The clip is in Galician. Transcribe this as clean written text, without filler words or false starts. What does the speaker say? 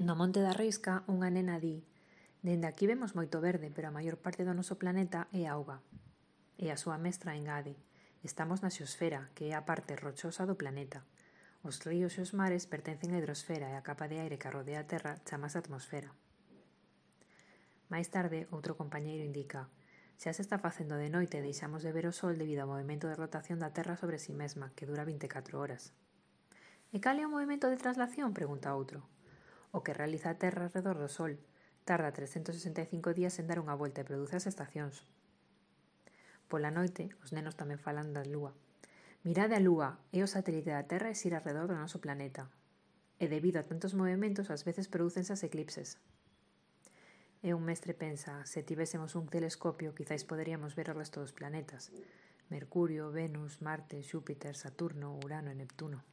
No Monte da Risca, unha nena di: "Dende aquí vemos moito verde, pero a maior parte do noso planeta é auga". E a súa mestra engade: "Estamos na xeosfera, que é a parte rochosa do planeta. Os ríos e os mares pertencen á hidrosfera e a capa de aire que rodea a Terra chamase atmosfera". Máis tarde, outro compañeiro indica: "Xa se está facendo de noite e deixamos de ver o sol debido ao movimento de rotación da Terra sobre si mesma, que dura 24 horas". "E cal é o movimento de traslación?", pregunta outro. "O que realiza a Terra arredor do Sol. Tarda 365 días en dar unha volta e produce as estacións". Pola noite, os nenos tamén falan da Lúa. "Mirade a Lúa, é o satélite da Terra e xira arredor do noso planeta. E debido a tantos movimentos, ás veces prodúcense as eclipses". E un mestre pensa: se tivésemos un telescopio, quizáis poderíamos ver o resto dos planetas. Mercurio, Venus, Marte, Xúpiter, Saturno, Urano e Neptuno.